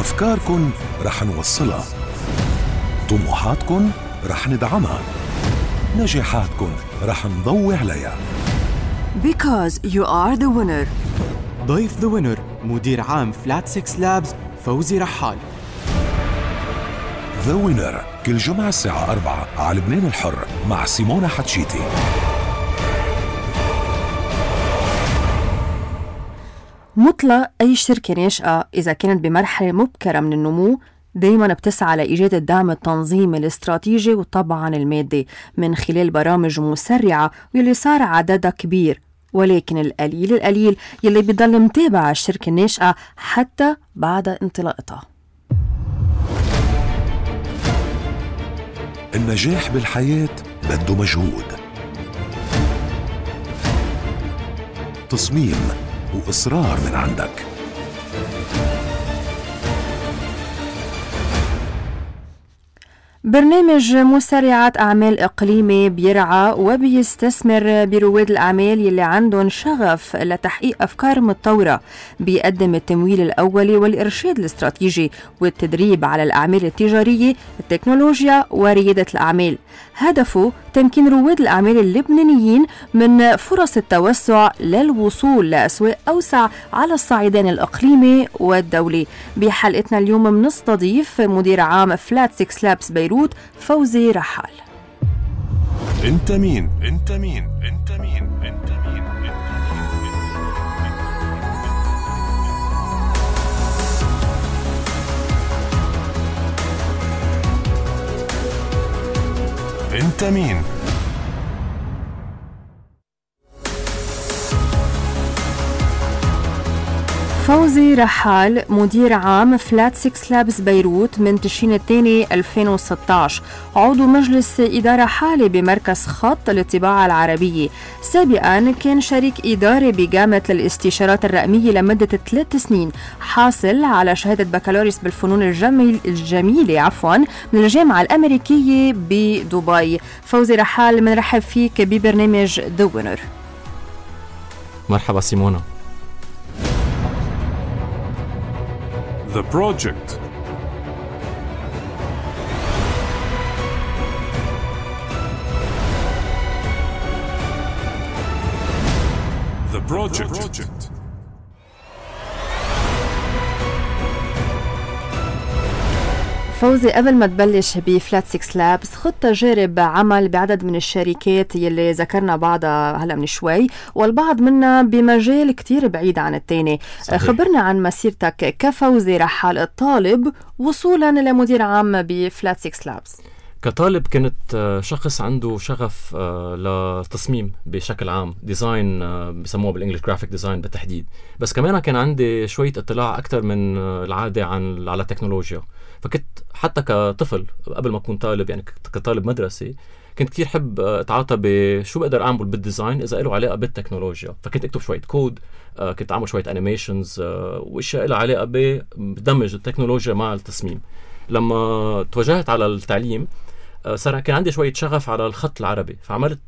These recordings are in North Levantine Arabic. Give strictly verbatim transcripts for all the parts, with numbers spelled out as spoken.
أفكاركن رح نوصلها، طموحاتكن رح ندعمها، نجاحاتكن رح نضوي عليها. Because you are the winner. ضيف The Winner مدير عام فلات سيكس لابز فوزي رحال. The Winner كل جمعة الساعة أربعة على لبنان الحر مع سيمونا حتشيتي. مطلق أي شركة ناشئة إذا كانت بمرحلة مبكرة من النمو دايماً بتسعى لإيجاد الدعم التنظيمي الاستراتيجي وطبعاً المادي من خلال برامج مسرعة واللي صار عددها كبير، ولكن القليل القليل يلي بيضل متابع الشركة الناشئة حتى بعد انطلاقتها. النجاح بالحياة بده مجهود، تصميم وإصرار من عندك. برنامج مسرعات أعمال إقليمي بيرعى وبيستثمر برواد الأعمال يلي عندهم شغف لتحقيق أفكار متطورة، بيقدم التمويل الأولي والإرشاد الاستراتيجي والتدريب على الأعمال التجارية، التكنولوجيا وريادة الأعمال. هدفه تمكين رواد الأعمال اللبنانيين من فرص التوسع للوصول لأسواق أوسع على الصعيدين الإقليمي والدولي. بحلقتنا اليوم منستضيف مدير عام فلات سيكس لابس بيروت فوزي رحال. انت مين؟ انت مين؟ انت مين؟ انت مين؟ انت مين؟ فوزي رحال مدير عام فلات سيكس لابس بيروت من تشرين الثاني ألفين وستة عشر، عضو مجلس إدارة حالي بمركز خط للطباعة العربية. سابقا كان شريك إداري بجامعة الاستشارات الرقمية لمدة ثلاث سنين، حاصل على شهادة بكالوريوس بالفنون الجميل الجميلة عفوا من الجامعة الأمريكية بدبي. فوزي رحال منرحب فيك ببرنامج The Winner. مرحبا سيمونا. The project. The project. The project. فوزي، قبل ما تبلش بفلات سيكس لابس خد تجارب عمل بعدد من الشركات يلي ذكرنا بعضها هلا من شوي، والبعض منها بمجال كتير بعيد عن التاني. خبرنا عن مسيرتك كفوزي رحال الطالب وصولا لمدير عام بفلات سيكس لابس. كطالب كنت شخص عنده شغف للتصميم بشكل عام، ديزاين بسموه بالانجليش جرافيك ديزاين بالتحديد، بس كمان كان عندي شوية اطلاع أكتر من العادة عن على التكنولوجيا. فكنت حتى كطفل قبل ما أكون طالب، يعني كطالب مدرسي، كنت كتير حب اتعاطى بشو بقدر أعمل بالديزاين إذا له علاقة بالتكنولوجيا. فكنت أكتب شوية كود، كنت أعمل شوية أنيميشنز وإشياء لها علاقة بدمج التكنولوجيا مع التصميم. لما توجهت على التعليم صار كان عندي شوية شغف على الخط العربي، فعملت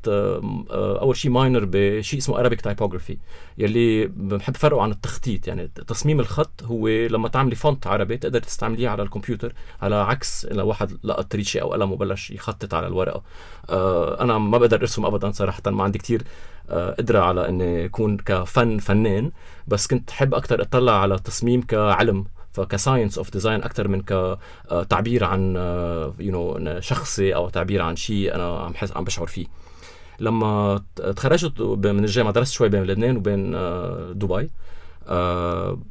أول شيء ماينر بشيء اسمه Arabic Typography، يلي بحب فرقه عن التخطيط. يعني تصميم الخط هو لما تعملي فونت عربي تقدر تستعمليه على الكمبيوتر، على عكس لو واحد لقط ريشة أو قلم وبلش يخطط على الورقة. أنا ما بقدر أرسم أبدا صراحة، ما عندي كتير قدرة على أني أكون كفن فنان، بس كنت حب أكتر أطلع على التصميم كعلم، فكساينس اوف ديزاين اكثر من كتعبير عن يو نو شخصي او تعبير عن شيء انا عم حس عم بشعر فيه. لما تخرجت من الجامعه درست شوي بين لبنان وبين دبي.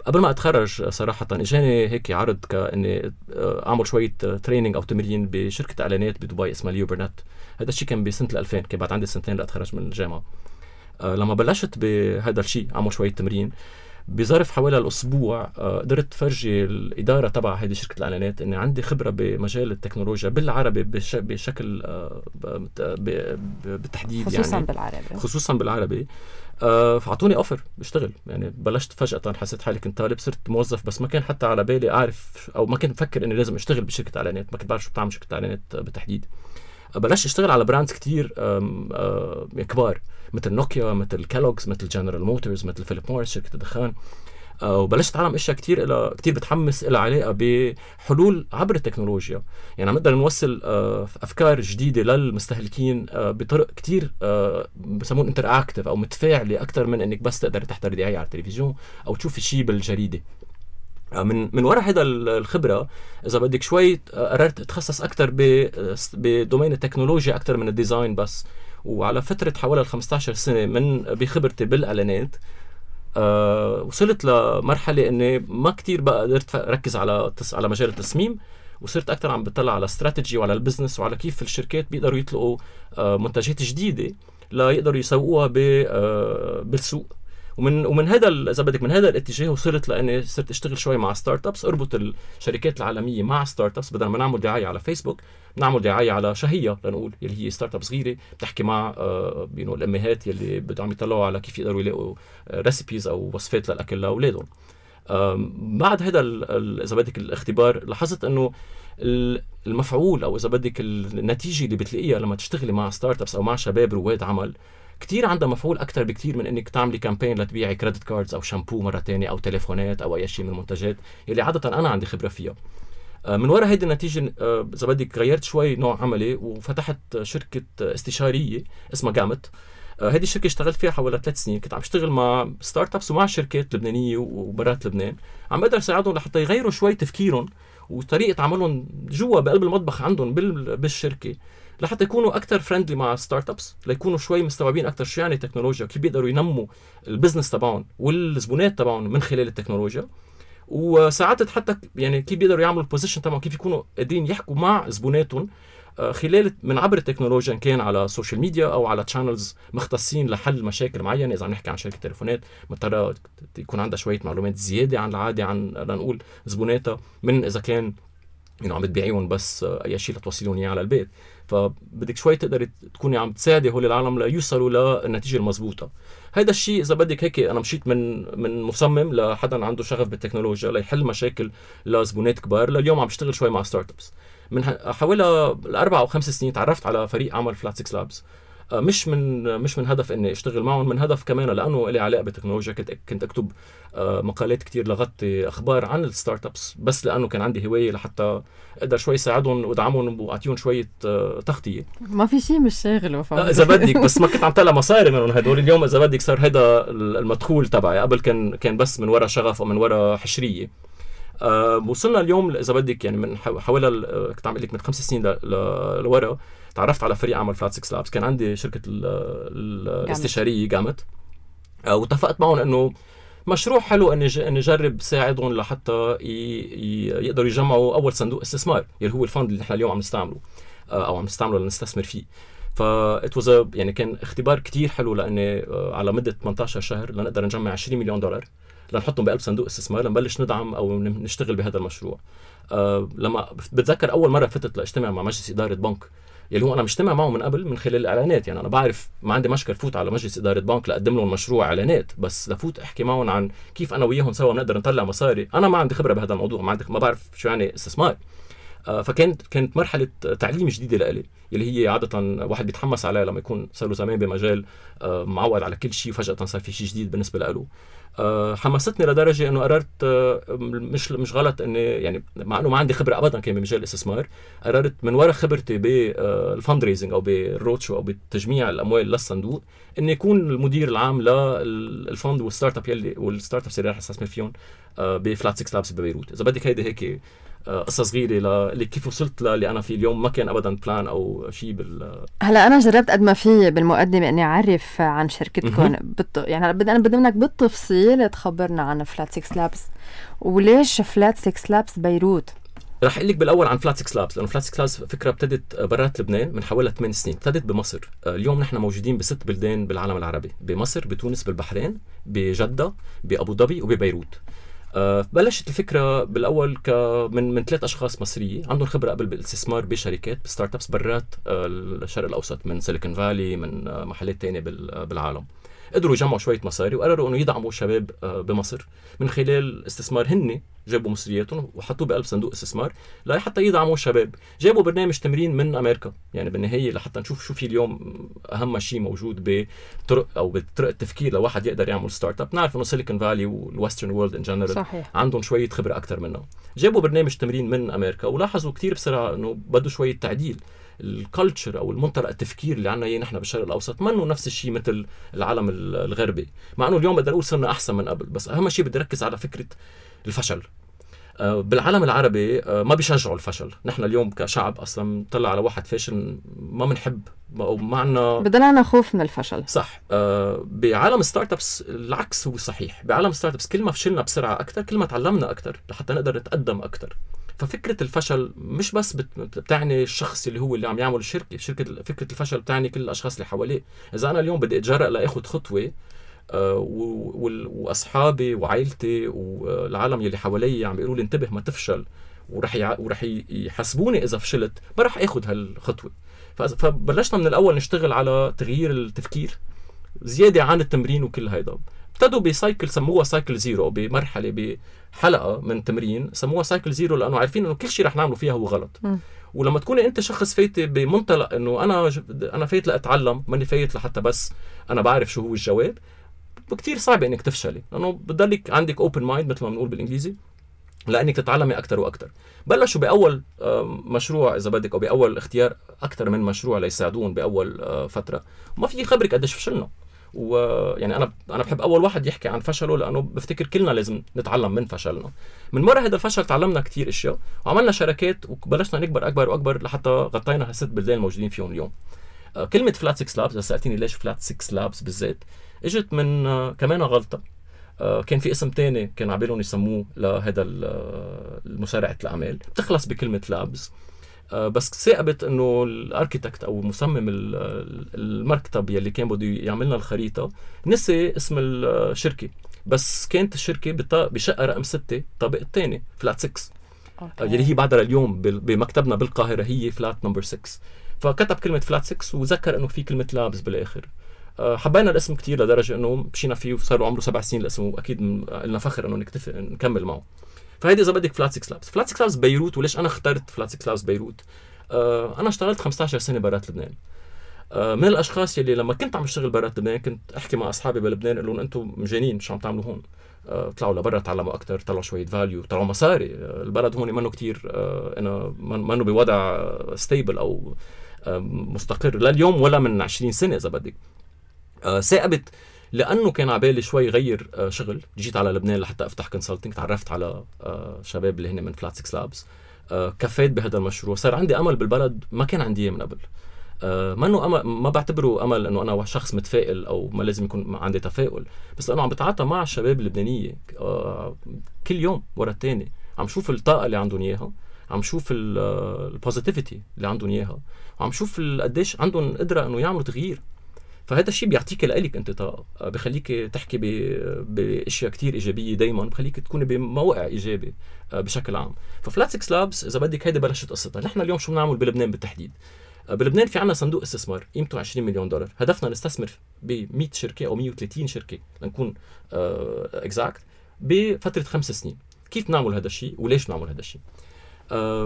قبل ما اتخرج صراحه اجاني هيك عرض كاني اعمل شويه تريننج او تمرين بشركه اعلانات بدبي اسمها ليو برنت. هذا الشيء كان بسنه ألفين، كان بعد عندي سنتين لاتخرج من الجامعه. لما بلشت بهذا الشيء اعمل شويه تمرين، بظرف حوالي الأسبوع قدرت فرجي الإدارة تبع هذه شركة الإعلانات إني عندي خبرة بمجال التكنولوجيا بالعربي بش بشكل بالتحديد، خصوصا يعني بالعربي خصوصا بالعربي فعطوني أوفر بشتغل. يعني بلشت فجأة، حسيت حالي كنت طالب صرت موظف، بس ما كان حتى على بالي أعرف أو ما كنت مفكر إني لازم أشتغل بشركة إعلانات، ما كنت بعرف شو بتعمل شركة إعلانات بالتحديد. بلشت اشتغل على براندز كتير كبار مثل نوكيا، مثل كالوغز، مثل جنرال موتورز، مثل فيليب موريس شركة الدخان. آه وبلشت اتعلم اشياء كتير إلى كتير بتحمس إلى علاقه بحلول عبر التكنولوجيا. يعني عم نقدر نوصل آه افكار جديده للمستهلكين آه بطرق كتير آه بسمون انتراكتيف او متفاعله اكثر من انك بس تقدر تحضر دعايه على التلفزيون او تشوف شيء بالجريده. من من وراء هذا الخبره اذا بدك شوي قررت اتخصص اكثر بدومين التكنولوجيا اكثر من الديزاين بس. وعلى فتره حوالي خمسة عشر سنه من بخبرتي بالاعلانات أه وصلت لمرحله اني ما كتير بقى قدرت اركز على على مجال التصميم، وصرت اكثر عم بطلع على استراتيجي وعلى البزنس وعلى كيف الشركات بيقدروا يطلقوا أه منتجات جديده لا يقدروا يسوقوها أه بالسوق. ومن ومن هذا اذا بدك من هذا الاتجاه وصلت لاني صرت اشتغل شوي مع ستارت ابس، اربط الشركات العالميه مع ستارت ابس. بدل ما نعمل دعايه على فيسبوك نعمل دعايه على شهيه لنقول اللي هي ستارت اب صغيره بتحكي مع آه بينو الامهات يلي بدهم يطلعوا على كيف يقدروا يلاقوا ريسيبيز او وصفات للاكل لاولادهم. بعد هذا اذا بدك الاختبار لاحظت انه المفعول او اذا بدك النتيجه اللي بتلاقيها لما تشتغلي مع ستارت ابس او مع شباب رواد عمل كتير عندها مفعول أكتر بكتير من إنك تعملي كامبين لتبيعي كريدت كاردز أو شامبو مرة تانية أو تليفونات أو أي شيء من المنتجات اللي عادة أنا عندي خبرة فيها. من وراء هيدي النتيجة إذا بدك غيرت شوي نوع عملي وفتحت شركة استشارية اسمها جامت. هذه الشركة اشتغلت فيها حوالي ثلاث سنين. كنت عم اشتغل مع ستارت ابس ومع شركات لبنانية وبرات لبنان، عم بقدر ساعدهم لحتى يغيروا شوي تفكيرهم وطريقة عملهم جوا بقلب المطبخ عندهم بالشركة لحتى يكونوا أكتر فريندلي مع ستارت ابس، ليكونوا شوي مستوعبين أكتر شو يعني تكنولوجيا وكيف بيقدروا ينموا البزنس تبعهم والزبونات تبعهم من خلال التكنولوجيا. وساعدت حتى يعني كيف بيقدروا يعملوا البوزيشن تبعهم، كيف يكونوا قادرين يحكوا مع زبوناتهم خلال من عبر التكنولوجيا، إن كان على السوشيال ميديا أو على تشانلز مختصين لحل مشاكل معينة. إذا عم نحكي عن شركة تليفونات مضطرة يكون عندها شوية معلومات زيادة عن العادي عن لنقول زبوناتها، من إذا كان يعني عم تبيعيهم بس أي شيء لتوصلون إياه على البيت. فبدك شوي تقدري تكوني عم تساعدي هول العالم ليوصلوا للنتيجة المضبوطة. هذا الشيء إذا بدك هيك أنا مشيت من من مصمم لحدا عنده شغف بالتكنولوجيا ليحل مشاكل لزبونات كبار، لليوم عم بشتغل شوي مع ستارت ابس. من حوالي الأربع أو خمس سنين تعرفت على فريق عمل فلات سيكس لابز، مش من مش من هدف اني اشتغل معهم، من هدف كمان لانه لي علاقه بالتكنولوجيا. كنت كنت اكتب مقالات كتير لغطي اخبار عن الستارت ابس بس لانه كان عندي هوايه لحتى اقدر شوي ساعدهم وادعمهم واعطيهم شويه تغطيه. ما في شيء مش شاغله اذا بدك، بس ما كنت عم طلع مصاري منهم هدول. اليوم اذا بدك صار هذا المدخول تبعي، قبل كان كان بس من وراء شغف ومن وراء حشريه. أه وصلنا اليوم اذا بدك يعني من حوالي كنت عم اقول لك من خمس سنين لورا تعرفت على فريق عمل فلات سيكس لابس. كان عندي شركه الاستشاريه جامت، أه واتفقت معهم انه مشروع حلو اني اني اجرب ساعدهم لحتى يقدروا يجمعوا اول صندوق استثمار اللي هو الفند اللي نحن اليوم عم نستعمله أه او عم نستعمله لنستثمر فيه. فاتوز يعني كان اختبار كتير حلو لاني على مده ثمانية عشر شهر لنقدر نجمع عشرين مليون دولار لنحطهم بقلب صندوق استثمار لنبلش ندعم او نشتغل بهذا المشروع. أه لما بتذكر اول مره فتت لاجتمع مع مجلس اداره بنك يلي هو انا مجتمع معه من قبل من خلال الاعلانات. يعني انا بعرف ما عندي مشكله فوت على مجلس اداره بنك لاقدم لهم مشروع اعلانات، بس لفوت احكي معهم عن كيف انا وياهم سوا بنقدر نطلع مصاري. انا ما عندي خبره بهذا الموضوع، ما عندي ما بعرف شو يعني استثمار. أه فكانت كانت مرحله تعليم جديده لإلي يلي هي عاده واحد بيتحمس عليها لما يكون صار له زمان بمجال أه معود على كل شيء وفجاه صار في شيء جديد بالنسبه له. أه حمستني لدرجه انه قررت أه مش مش غلط اني يعني مع انه ما عندي خبره ابدا كان بمجال الاستثمار، قررت من وراء خبرتي بالفند ريزنج او بالروت شو او بتجميع الاموال للصندوق اني يكون المدير العام للفند والستارت اب يلي والستارت ابس اللي راح استثمر فيهم أه بفلات سيكس لابس ببيروت. اذا بدك هيدي هيك قصة صغيرة اللي كيف وصلت للي أنا فيه اليوم. ما كان أبداً بلان أو شيء بال. هلا أنا جربت قد ما في بالمقدمة إني أعرف عن شركتكم بت... يعني بدي أنا بدي منك بالتفصيل تخبرنا عن فلات سيكس لابس وليش فلات سيكس لابس بيروت. رح أقول لك بالأول عن فلات سيكس لابس، لأنه فلات سيكس لابس فكرة ابتدت برات لبنان من حوالي ثمان سنين. ابتدت بمصر. اليوم نحن موجودين بست بلدان بالعالم العربي، بمصر، بتونس، بالبحرين، بجدة، بأبو ظبي وببيروت. أه بلشت الفكرة بالأول ك من من ثلاث أشخاص مصريين عندهم خبرة قبل بالاستثمار بشركات بستارت أبس برات أه الشرق الأوسط، من سيليكون فالي، من أه محلات تانية بالعالم. قدروا يجمعوا شويه مصاري وقرروا انه يدعموا الشباب بمصر من خلال استثمار. هن جابوا مصرياتهم وحطوه بقلب صندوق استثمار لحتى يدعموا الشباب. جابوا برنامج تمرين من امريكا، يعني بالنهايه لحتى نشوف شو في اليوم اهم شيء موجود بطرق او بطرق التفكير لواحد يقدر يعمل ستارت اب. نعرف انه سيليكون فالي والويسترن وورلد ان جنرال عندهم شويه خبره اكثر منا. جابوا برنامج تمرين من امريكا ولاحظوا كتير بسرعه انه بده شويه تعديل. الكالتشر او المنطلق التفكير اللي عنا اياه نحن بالشرق الاوسط منه نفس الشيء مثل العالم الغربي، مع انه اليوم بقدر اقول صرنا احسن من قبل. بس اهم شيء بدي ركز على فكره الفشل. بالعالم العربي ما بيشجعوا الفشل. نحن اليوم كشعب اصلا طلع على واحد فاشل ما بنحب او ما عنا، بدنا خوف من الفشل. صح. بعالم ستارت ابس العكس هو صحيح. بعالم ستارت ابس كل ما فشلنا بسرعه اكثر كل ما تعلمنا اكثر لحتى نقدر نتقدم اكثر. ففكرة الفشل مش بس بتعني الشخص اللي هو اللي عم يعمل الشركة. شركة فكرة الفشل بتعني كل الأشخاص اللي حواليه. إذا أنا اليوم بدي أتجرأ لأخذ خطوة آه وأصحابي وعائلتي والعالم اللي حواليه عم بيقولوا لي انتبه ما تفشل ورح يع... ورح يحاسبوني إذا فشلت، ما رح أخذ هالخطوة. فبلشنا من الأول نشتغل على تغيير التفكير زيادة عن التمرين وكل هيدا. ابتدوا بسايكل سموها سايكل زيرو، بمرحلة بحلقة من تمرين سموها سايكل زيرو لأنه عارفين إنه كل شيء رح نعمله فيها هو غلط. م. ولما تكوني أنت شخص فايت بمنطلق إنه أنا أنا فايت لأتعلم ماني فايت لحتى بس أنا بعرف شو هو الجواب، كتير صعب إنك تفشلي لأنه بضلك عندك open mind مثل ما بنقول بالإنجليزي لأنك تتعلمي أكتر وأكتر. بلشوا بأول مشروع إذا بدك أو بأول اختيار أكتر من مشروع ليساعدون بأول فترة، وما في خبرك قديش فشلنا. ويعني انا انا بحب اول واحد يحكي عن فشله لانه بفتكر كلنا لازم نتعلم من فشلنا. من مره هذا الفشل تعلمنا كتير اشياء وعملنا شركات وبلشنا نكبر اكبر واكبر لحتى غطينا هالست بلدان الموجودين فيهم اليوم. آه كلمه فلات سكس لابس، اذا سالتيني ليش فلات سكس لابس بالذات، اجت من آه كمان غلطه. آه كان في اسم تاني كان عبالهم يسموه لهذا المسارعه الاعمال بتخلص بكلمه لابس. آه بس ثاقبت انه الاركيتكت او مصمم المكتب يلي كان بده يعملنا الخريطه نسي اسم الشركه، بس كانت الشركه بشقه رقم ستة طابق الثاني فلات سكس آه يلي هي بعدها اليوم بمكتبنا بالقاهره هي فلات نمبر ستة. فكتب كلمه فلات ستة وذكر انه في كلمه لابس بالاخر. آه حبينا الاسم كتير لدرجه انه مشينا فيه وصار عمره سبع سنين الاسم، واكيد لنا فخر انه نكتفي نكمل معه. فهيدي اذا بدك فلات سكس لابس. فلات سكس لابس بيروت. وليش انا اخترت فلات سكس لابس بيروت؟ آه انا اشتغلت خمسة عشر سنه برات لبنان. آه من الاشخاص يلي لما كنت عم اشتغل برات لبنان كنت احكي مع اصحابي بلبنان اقول لهم انتم مجانين شو عم تعملوا هون؟ آه طلعوا لبرا تعلموا اكثر، طلعوا شويه فاليو، طلعوا مصاري. آه البلد هون منه كتير آه انا منه بوضع ستيبل او آه مستقر لليوم ولا من عشرين سنه اذا بدك. آه ثاقبت لانه كان عبالي شوي غير آه شغل. جيت على لبنان لحتى افتح كونسلتنج، تعرفت على آه شباب اللي هن من فلات سكس لابس، آه كفيت بهذا المشروع، صار عندي امل بالبلد ما كان عندي من قبل. آه ما انه أمل، ما بعتبره امل انه انا شخص متفائل او ما لازم يكون عندي تفاؤل، بس انا عم بتعاطى مع الشباب اللبنانيه آه كل يوم ورا الثاني، عم شوف الطاقه اللي عندهم اياها، عم شوف البوزيتيفيتي اللي عندهم اياها، وعم شوف قديش عندهم قدره انه يعملوا تغيير. فهذا الشيء بيعطيك لك انت طاقه، بخليك تحكي باشياء كتير ايجابيه دائما، بخليك تكون بموقع ايجابي بشكل عام. ففلات سكس لابس اذا بدك هيدي بلشت قصتها. نحن اليوم شو بنعمل بلبنان بالتحديد؟ بلبنان في عنا صندوق استثمار قيمته عشرين مليون دولار، هدفنا نستثمر ب مية شركه او مية وثلاثين شركه لنكون اكزاكت بفتره خمس سنين. كيف نعمل هذا الشيء وليش نعمل هذا الشيء؟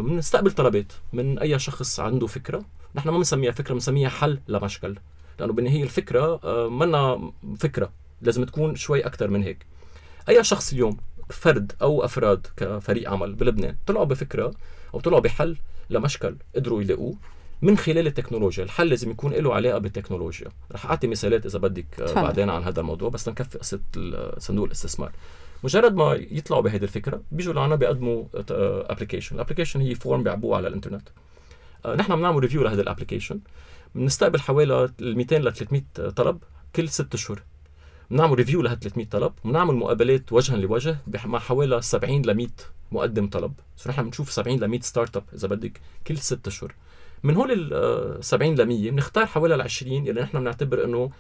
بنستقبل طلبات من اي شخص عنده فكره. نحن ما بنسميها فكره، بنسميها حل لمشكل، لانه بالنهايه الفكره منا فكره، لازم تكون شوي اكثر من هيك. اي شخص اليوم فرد او افراد كفريق عمل بلبنان طلعوا بفكره او طلعوا بحل لمشكل قدروا يلاقوه من خلال التكنولوجيا. الحل لازم يكون له علاقه بالتكنولوجيا. رح اعطي مثالات اذا بدك فهم. بعدين عن هذا الموضوع، بس لنكفي قصه صندوق الاستثمار. مجرد ما يطلعوا بهذه الفكره بيجوا لعنا بيقدموا ابلكيشن. الابلكيشن هي فورم بيعبوه على الانترنت. نحن بنعمل ريفيو لهذا الابلكيشن، بنستقبل حوالي مئتين ل ثلاثمئة طلب كل ست اشهر. بنعمل ريفيو له ثلاثمئة طلب، وبنعمل مقابلات وجها لوجه مع حوالي سبعين ل مئة مقدم طلب. سو نحن بنشوف سبعين ل مئة ستارت اب اذا بدك كل ست اشهر. من هول ال سبعين ل مئة بنختار حوالي ال عشرين اللي نحن بنعتبر انه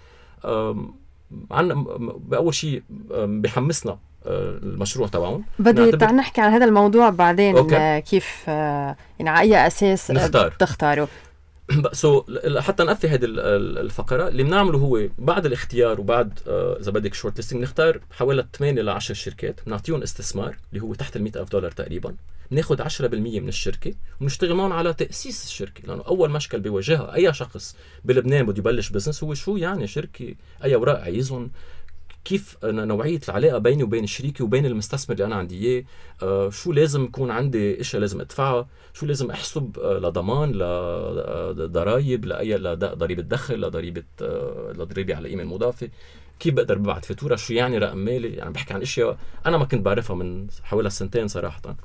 عنا باول شيء بحمسنا المشروع تبعهم. بدي تعال نحكي عن هذا الموضوع بعدين. أوكي. كيف يعني على اي اساس نختار. تختاروا؟ سو حتى نقفي هذه الفقره اللي بنعمله هو بعد الاختيار وبعد اذا بدك شورت ليستنج نختار حوالي ثمانية إلى عشر شركات، بنعطيهم استثمار اللي هو تحت ال مئة ألف دولار تقريبا، بناخذ عشرة بالمية من الشركه وبنشتغل معهم على تاسيس الشركه، لانه اول مشكل بيواجهها اي شخص بلبنان بده يبلش بزنس هو شو يعني شركه، اي اوراق عايزهم، كيف نوعية العلاقة بيني وبين الشريكي وبين المستثمر اللي أنا عندي إياه، آه شو لازم يكون عندي إشياء لازم أدفعها، شو لازم أحسب آه لضمان لضرايب لأي لضريبة دخل لضريبة آه لضريبة على قيمة مضافة، كيف بقدر ببعت فاتورة، شو يعني رقم مالي، يعني بحكي عن إشياء أنا ما كنت بعرفها من حوالي سنتين صراحة.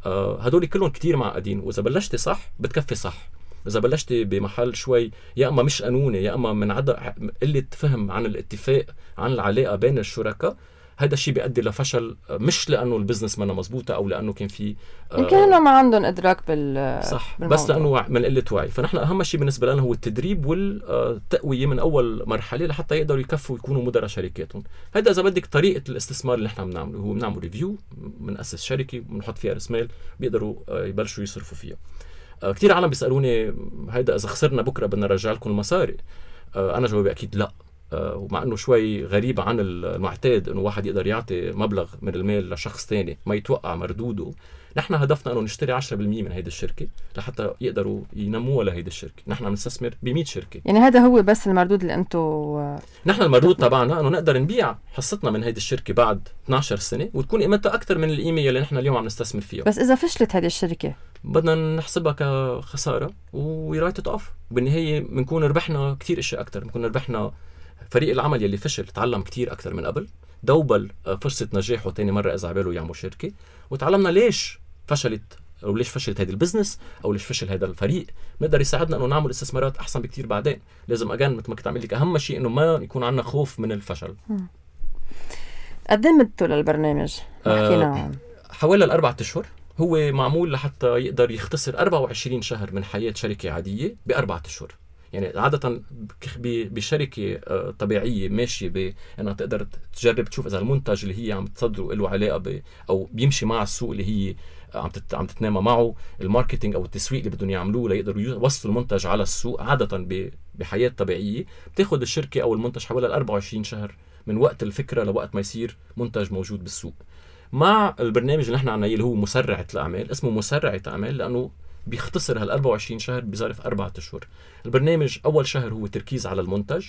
آه هدول كلهم كتير معقدين، وإذا بلشتي صح بتكفي صح، إذا بلشتي بمحل شوي يا أما مش قانوني يا أما من عدم قلة فهم عن الاتفاق عن العلاقة بين الشركاء، هذا الشيء بيؤدي لفشل، مش لأنه البزنس منه مزبوطة أو لأنه كان في يمكن آه ما عندهم إدراك بال صح بالموضوع. بس لأنه من قلة وعي. فنحن أهم شيء بالنسبة لنا هو التدريب والتقوية من أول مرحلة لحتى يقدروا يكفوا ويكونوا مدراء شركاتهم. هذا إذا بدك طريقة الاستثمار اللي نحن بنعمله، هو بنعمل ريفيو، بنأسس شركة بنحط فيها رأس مال بيقدروا يبلشوا يصرفوا فيها. كتير عالم بيسألوني هيدا إذا خسرنا بكرة بدنا نرجع لكم المصاري، أنا جوابي أكيد لا، ومع أنه شوي غريب عن المعتاد أنه واحد يقدر يعطي مبلغ من المال لشخص تاني ما يتوقع مردوده. نحن هدفنا أنه نشتري عشرة بالمية من هيدا الشركة لحتى يقدروا ينموها لهيدا الشركة. نحن عم نستثمر بمئة شركة، يعني هذا هو بس المردود اللي أنتو نحن المردود تبعنا أنه نقدر نبيع حصتنا من هيدا الشركة بعد اثنتي عشرة سنة وتكون قيمتها أكتر من القيمة اللي نحن اليوم عم نستثمر فيها. بس إذا فشلت هذه الشركة بدنا نحسبها كخسارة ورايت اوف، بالنهاية بنكون ربحنا كتير اشياء اكتر، بنكون ربحنا فريق العمل يلي فشل تعلم كتير اكتر من قبل، دوبل فرصة نجاحه تاني مرة اذا عباله يعمل شركة، وتعلمنا ليش فشلت او ليش فشلت هذا البزنس او ليش فشل هذا الفريق، بنقدر يساعدنا انه نعمل استثمارات احسن بكتير بعدين. لازم اجان مثل ما كنت عامل لك اهم شيء انه ما يكون عندنا خوف من الفشل. قدمتوا للبرنامج حكينا آه حوالي الاربعة اشهر، هو معمول لحتى يقدر يختصر أربعة وعشرين شهر من حياة شركة عادية بأربعة أشهر. يعني عادة بشركة طبيعية ماشية بأنها تقدر تجرب تشوف إذا المنتج اللي هي عم تصدره له علاقة ب أو بيمشي مع السوق اللي هي عم عم تتنامى معه، الماركتينج أو التسويق اللي بدهم يعملوه ليقدروا يوصلوا المنتج على السوق. عادة بحياة طبيعية بتاخد الشركة أو المنتج حوالي أربعة وعشرين شهر من وقت الفكرة لوقت ما يصير منتج موجود بالسوق. مع البرنامج اللي نحن عنا اللي هو مسرعة الأعمال، اسمه مسرعة أعمال لأنه بيختصر هال أربعة وعشرين شهر بظرف أربعة أشهر. البرنامج أول شهر هو تركيز على المنتج،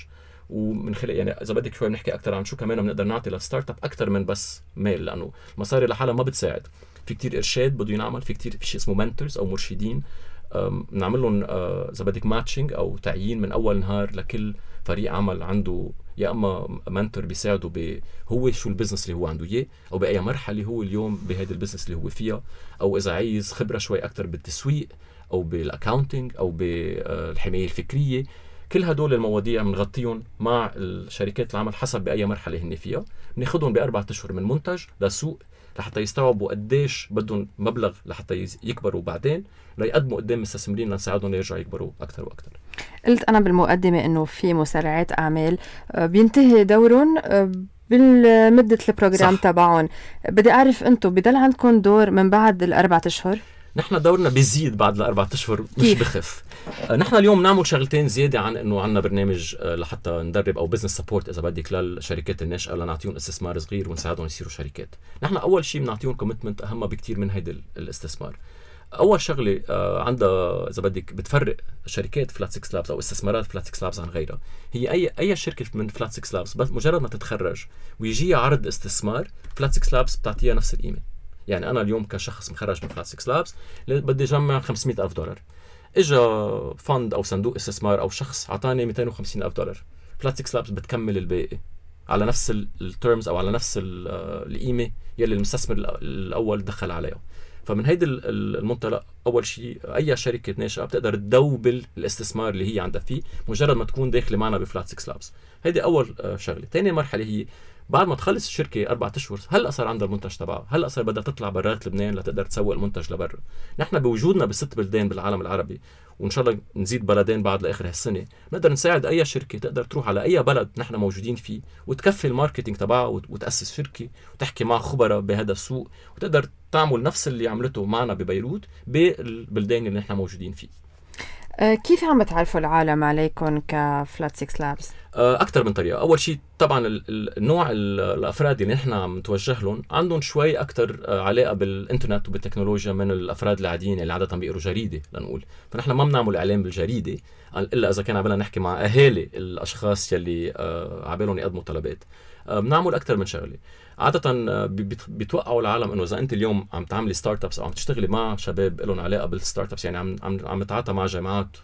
ومن خلال يعني إذا بدك شوي بنحكي أكتر عن شو كمان بنقدر نعطي للستارت اب أكتر من بس مال، لأنه المصاري لحالها ما بتساعد، في كتير إرشاد بده ينعمل، في كتير في شيء اسمه منتورز أو مرشدين، نعمل لهم إذا بدك ماتشنج أو تعيين من أول نهار لكل فريق عمل عنده يا اما منتور بيساعده ب هو شو البزنس اللي هو عنده اياه او باي مرحله هو اليوم بهذا البزنس اللي هو فيها، او اذا عايز خبره شوي اكثر بالتسويق او بالاكاونتنج او بالحمايه الفكريه. كل هدول المواضيع بنغطيهم مع الشركات العمل حسب باي مرحله هن فيها، بناخذهم باربعة اشهر من منتج لسوق لحتى يستوعبوا قديش بدهم مبلغ لحتى يكبروا بعدين ليقدموا قدام مستثمرين لنساعدهم يرجعوا يكبروا اكثر واكثر. قلت أنا بالمقدمة إنه في مسرعات أعمال بينتهي دورهم بالمدة البروجرام تبعهم، بدي أعرف أنتم بدل عندكم دور من بعد الأربعة أشهر؟ نحن دورنا بيزيد بعد الأربعة أشهر مش بخف. نحن اليوم نعمل شغلتين زيادة عن إنه عنا برنامج لحتى ندرب أو بزنس سبورت إذا بدك للشركات الناشئة لنعطيهم استثمار صغير ونساعدهم يصيروا شركات. نحن أول شيء بنعطيهم كوميتمنت أهم بكتير من هيدا الاستثمار. أول شغلة عندها إذا بدك بتفرق شركات فلات سيكس لابس أو استثمارات فلات سيكس لابس عن غيرها، هي أي أي شركة من فلات سيكس لابس بس مجرد ما تتخرج ويجي عرض استثمار فلات سيكس لابس بتعطيها نفس القيمة. يعني أنا اليوم كشخص مخرج من فلات سيكس لابس بدي جمع خمسمئة ألف دولار، إجا فند أو صندوق استثمار أو شخص عطاني مئتين وخمسين ألف دولار، فلات سيكس لابس بتكمل الباقي على نفس التيرمز أو على نفس القيمة يلي المستثمر الأول دخل عليها. فمن هيدا المنطلق أول شيء أي شركة ناشئة بتقدر تدوبل الاستثمار اللي هي عندها فيه مجرد ما تكون داخلة معنا بفلات سيكس لابس. هيدي أول شغلة. تاني مرحلة هي بعد ما تخلص الشركة أربعة أشهر هلأ صار عندها المنتج تبعها، هلأ صار بدها تطلع برات لبنان لتقدر تسوق المنتج لبرا. نحن بوجودنا بست بلدان بالعالم العربي وإن شاء الله نزيد بلدين بعد لآخر هالسنة، نقدر نساعد أي شركة تقدر تروح على أي بلد نحن موجودين فيه وتكفي الماركتينج تبعها وتأسس شركة وتحكي مع خبراء بهذا السوق وتقدر تعمل نفس اللي عملته معنا ببيروت بالبلدان اللي نحن موجودين فيه. كيف عم بتعرفوا العالم عليكم كفلات سيكس لابس؟ أكثر من طريقة. أول شيء طبعا النوع الأفراد اللي نحن عم نتوجه لهم عندهم شوي أكثر علاقة بالإنترنت وبالتكنولوجيا من الأفراد العاديين اللي عادة بيقروا جريدة لنقول. فنحن ما بنعمل إعلان بالجريدة إلا إذا كان عبالنا نحكي مع أهالي الأشخاص يلي عبالهم يقدموا طلبات. بنعمل أكثر من شغلة. عادة بيتوقعوا العالم إنه إذا أنت اليوم عم تعملي ستارت أبس أو عم تشتغلي مع شباب لهم علاقة بالستارت أبس، يعني عم عم عم تتعاطى مع جامعات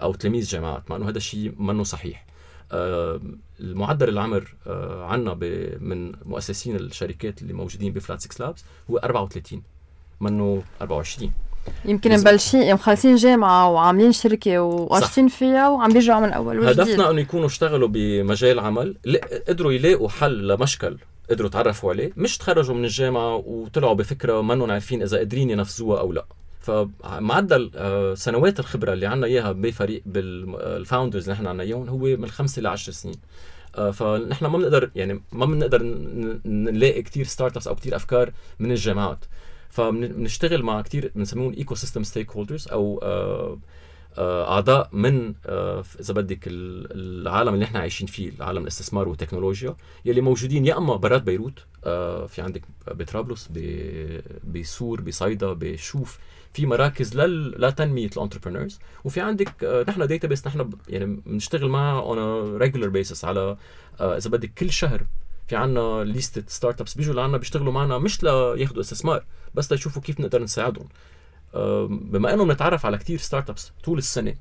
أو تلاميذ جامعات، مع إنه هذا الشيء منه صحيح. آه المعدل العمر آه عنا من مؤسسين الشركات اللي موجودين بفلات سيكس لابس هو أربعة وثلاثين منه أربعة وعشرين. يمكن مبلشين مخلصين جامعة وعاملين شركة وقاشين فيها وعم بيرجعوا من أول وجديد. هدفنا أنه يكونوا اشتغلوا بمجال عمل قدروا يلاقوا حل لمشكل قدروا تعرفوا عليه، مش تخرجوا من الجامعة وطلعوا بفكرة منهم عارفين إذا قادرين ينفذوها أو لا. فمعدل سنوات الخبرة اللي عنا إياها بفريق بالفاوندرز اللي نحن عنا إياهم هو من خمسة لعشر سنين. فنحن ما بنقدر يعني ما بنقدر نلاقي كتير ستارت ابس أو كتير أفكار من الجامعات. فبنشتغل مع كتير بنسميهم ايكو سيستم ستيك هولدرز او اعضاء من اذا بدك العالم اللي احنا عايشين فيه، العالم الاستثمار والتكنولوجيا يلي موجودين يا اما برات بيروت، في عندك بطرابلس، بسور، بصيدا، بشوف، في مراكز لتنميه الانتربرينورز، وفي عندك نحن داتابيس نحن يعني بنشتغل معها اون ريجولار بيسس على اذا بدك كل شهر في عنا ليستة ستارت ابس بيجوا لعنا بيشتغلوا معنا مش لياخدوا استثمار بس ليشوفوا كيف نقدر نساعدهم. بما انه بنتعرف على كتير ستارت ابس طول السنه،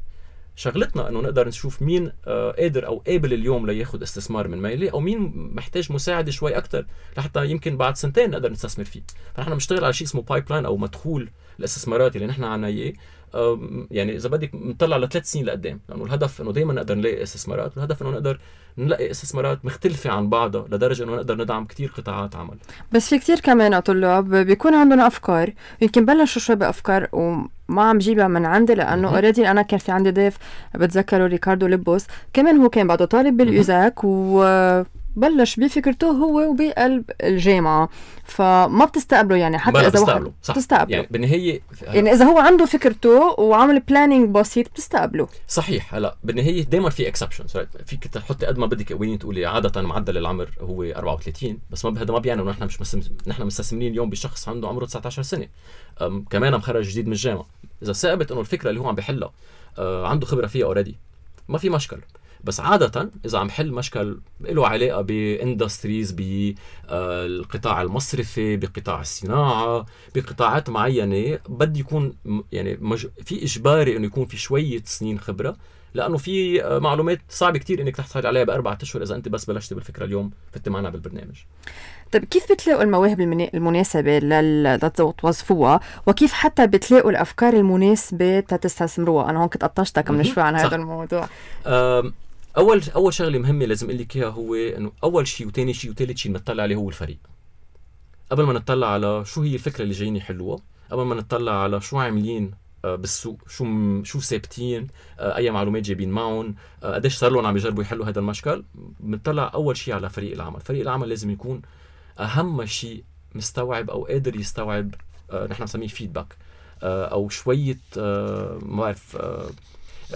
شغلتنا انه نقدر نشوف مين قادر او قابل اليوم لياخد استثمار من ميلي، او مين محتاج مساعده شوي اكثر لحتى يمكن بعد سنتين نقدر نستثمر فيه. فنحن بنشتغل على شيء اسمه بايب لاين او مدخول الاستثمارات اللي نحن عنا اياه. يعني اذا بدك نطلع لثلاث سنين لقدام، لانه الهدف انه دائما نقدر نلاقي استثمارات، والهدف انه نقدر نلاقي استثمارات مختلفه عن بعضها لدرجه انه نقدر ندعم كتير قطاعات عمل. بس في كتير كمان طلاب بيكون عندهم افكار، يمكن بلشوا شوي بافكار وما عم جيبها من عندي، لانه اوريدي انا كان في عندي ضيف بتذكره ريكاردو ليبوس، كمان هو كان بعده طالب بالايزاك وبلش بفكرته هو وبقلب الجامعه، فما بتستقبلوا يعني حتى اذا واحد بتستقبلوا يعني بالنهايه يعني اذا هو عنده فكرته وعمل بلانينج بسيط بتستقبلوا. صحيح. هلا بالنهايه دائما في اكسبشنز، فيك تحطي قد ما بدك وين تقولي عاده معدل العمر هو أربعة وثلاثين، بس ما هذا ما بيعني انه نحن مش مسم... نحن مستثمرين اليوم بشخص عنده عمره تسعة عشر سنه كمان مخرج جديد من الجامعه. اذا ثابت انه الفكره اللي هو عم بيحلها أه عنده خبره فيها اوريدي ما في مشكل، بس عادة إذا عم حل مشكل له علاقة باندستريز، بالقطاع المصرفي، بقطاع الصناعة، بقطاعات معينة، بدي يكون يعني مج... في إجباري إنه يكون في شوية سنين خبرة، لأنه في معلومات صعب كتير إنك تحصل عليها بأربعة أشهر إذا أنت بس بلشت بالفكرة اليوم فتت معنا بالبرنامج. طيب كيف بتلاقوا المواهب المناسبة لتوظفوها، وكيف حتى بتلاقوا الأفكار المناسبة تستثمروها؟ أنا هون كنت قطشتك من شوي عن هذا الموضوع. أول أول شغلة مهمة لازم أقول لك إياها هو إنه أول شيء وتاني شيء وثالث شيء نطلع عليه هو الفريق. قبل ما نطلع على شو هي الفكرة اللي جايين يحلوها، قبل ما نطلع على شو عاملين بالسوق، شو شو ثابتين، أي معلومات جايبين معهم، قديش صار لهم عم يجربوا يحلوا هذا المشكل، بنطلع أول شيء على فريق العمل. فريق العمل لازم يكون أهم شيء مستوعب أو قادر يستوعب، نحن نسميه فيدباك أو شوية ما بعرف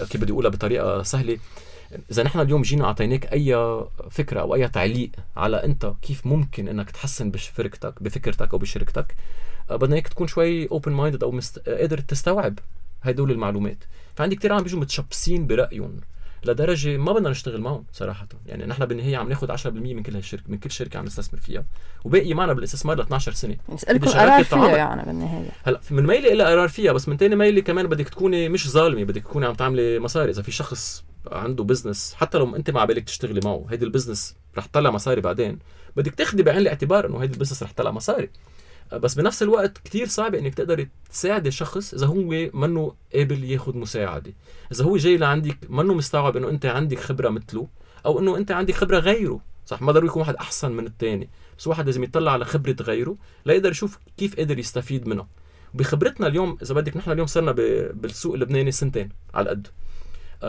كيف بدي أقولها بطريقة سهلة. إذا نحن اليوم جينا أعطيناك أي فكرة أو أي تعليق على أنت كيف ممكن إنك تحسن بفكرتك بفكرتك أو بشركتك، بدنا إياك تكون شوي open minded أو مست... قادر تستوعب هدول المعلومات. فعندي كتير عم بيجوا متشبسين برأيهم لدرجة ما بدنا نشتغل معهم صراحة. يعني نحن بالنهاية عم ناخد عشرة بالمية من كل هالشركة، من كل شركة عم نستثمر فيها، وباقي معنا بالاستثمار ل اثناشر سنة. نسألكم قرار فيها يعني بالنهاية. هلا من ميلي إلى قرار فيها، بس من تاني ميلي كمان بدك تكوني مش ظالمة، بدك تكوني عم تعملي مصاري. إذا في شخص عنده بزنس حتى لو انت ما بالك تشتغلي معه، هيدي البزنس رح تطلع مصاري بعدين، بدك تاخدي بعين الاعتبار انه هيدي البزنس رح تطلع مصاري. بس بنفس الوقت كتير صعب انك تقدري تساعدي شخص اذا هو منه قابل ياخد مساعده، اذا هو جاي لعندك منه مستوعب انه انت عندك خبره مثله، او انه انت عندك خبره غيره. صح، ما ضروري يكون واحد احسن من الثاني، بس واحد لازم يطلع على خبره غيره ليقدر يشوف كيف قادر يستفيد منها. بخبرتنا اليوم اذا بدك، نحن اليوم صرنا بالسوق اللبناني سنتين على قد،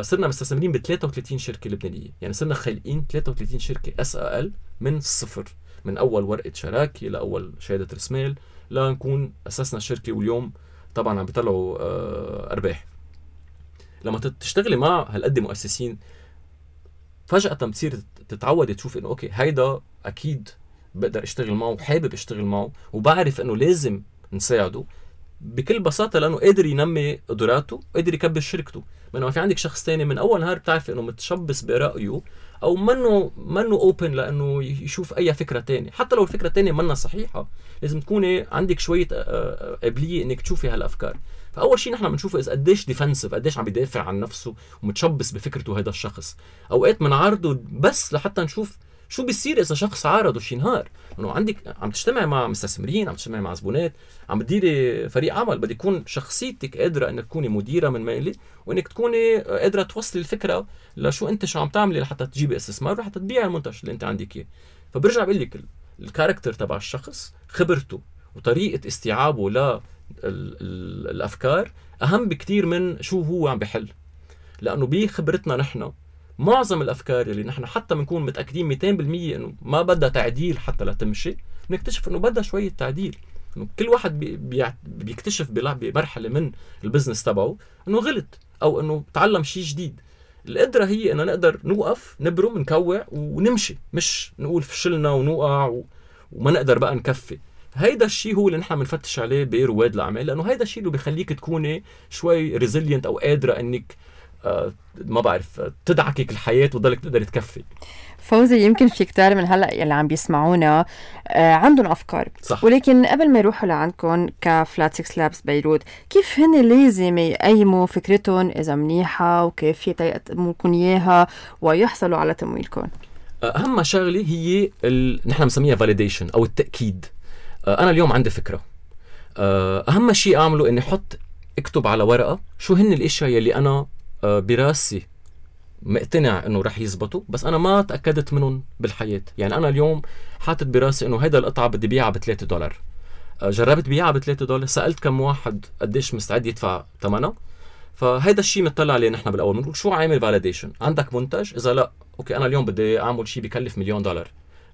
صرنا مستثمرين ب ثلاثة وثلاثين شركه لبنانيه، يعني صرنا خالقين ثلاثة وثلاثين شركه اس ال من الصفر، من اول ورقه شراكه لاول شهاده رسمال لنكون اسسنا الشركه، واليوم طبعا عم بيطلعوا ارباح. لما تشتغلي مع هالقد مؤسسين فجأة بتصير تتعود تشوف انه اوكي هيدا اكيد بقدر اشتغل معه وحابب اشتغل معه وبعرف انه لازم نساعده بكل بساطة لأنه قادر ينمي قدراته قادر يكبر شركته. بينما في عندك شخص تاني من أول نهار بتعرف إنه متشبث برأيه أو منه منه أوبن لأنه يشوف أي فكرة تانية، حتى لو الفكرة تانية منها صحيحة لازم تكوني عندك شوية قابلية إنك تشوفي هالأفكار. فأول شيء نحن بنشوفه إذا قديش ديفنسيف، قديش عم بيدافع عن نفسه ومتشبث بفكرته هذا الشخص. أوقات منعرضه بس لحتى نشوف شو بيصير إذا شخص عارضه شي نهار، إنه عندك عم تجتمع مع مستثمرين، عم تجتمع مع زبونات، عم بتديري فريق عمل، بدي يكون شخصيتك قادرة إنك تكوني مديرة من مالي وإنك تكوني قادرة توصلي الفكرة لشو أنت شو عم تعملي لحتى تجيبي استثمار وحتى تبيع المنتج اللي أنت عندك إياه. فبرجع بقول لك الكاركتر تبع الشخص، خبرته وطريقة استيعابه للأفكار أهم بكتير من شو هو عم بحل. لأنه بخبرتنا نحن معظم الأفكار اللي نحن حتى بنكون متأكدين مئتين بالمية إنه ما بدها تعديل حتى لا تمشي، بنكتشف إنه بدها شوية تعديل. إنه كل واحد بي بي بيكتشف بمرحلة من البزنس تبعه إنه غلط أو إنه تعلم شيء جديد. القدرة هي إنه نقدر نوقف نبرم نكوع ونمشي، مش نقول فشلنا ونوقع وما نقدر بقى نكفي. هيدا الشيء هو اللي نحن بنفتش عليه برواد الأعمال، لأنه هيدا الشيء اللي بيخليك تكوني شوي ريزيلينت أو قادرة إنك آه ما بعرف تدعكك الحياة وتضلك تقدر تكفي. فوزي، يمكن في كتار من هلأ اللي عم بيسمعونا آه عندهم أفكار صح. ولكن قبل ما يروحوا لعندكم كفلات سيكس لابس بيروت، كيف هن لازم يقيموا فكرتهم إذا منيحة وكيف يقدموكم إياها ويحصلوا على تمويلكم؟ أهم شغلة هي ال... نحن مسميها validation أو التأكيد. آه أنا اليوم عندي فكرة، آه أهم شيء أعمله إني حط اكتب على ورقة شو هن الاشياء يلي انا براسي مقتنع انه رح يزبطوا بس انا ما تاكدت منهم بالحياه. يعني انا اليوم حاطط براسي انه هيدا القطعه بدي بيعها بثلاثة دولار، جربت بيعها بثلاثة دولار، سالت كم واحد قديش مستعد يدفع ثمنها. فهيدا الشيء مطلع عليه نحن بالاول بنقول شو عامل فاليديشن. عندك منتج؟ اذا لا اوكي انا اليوم بدي اعمل شيء بكلف مليون دولار،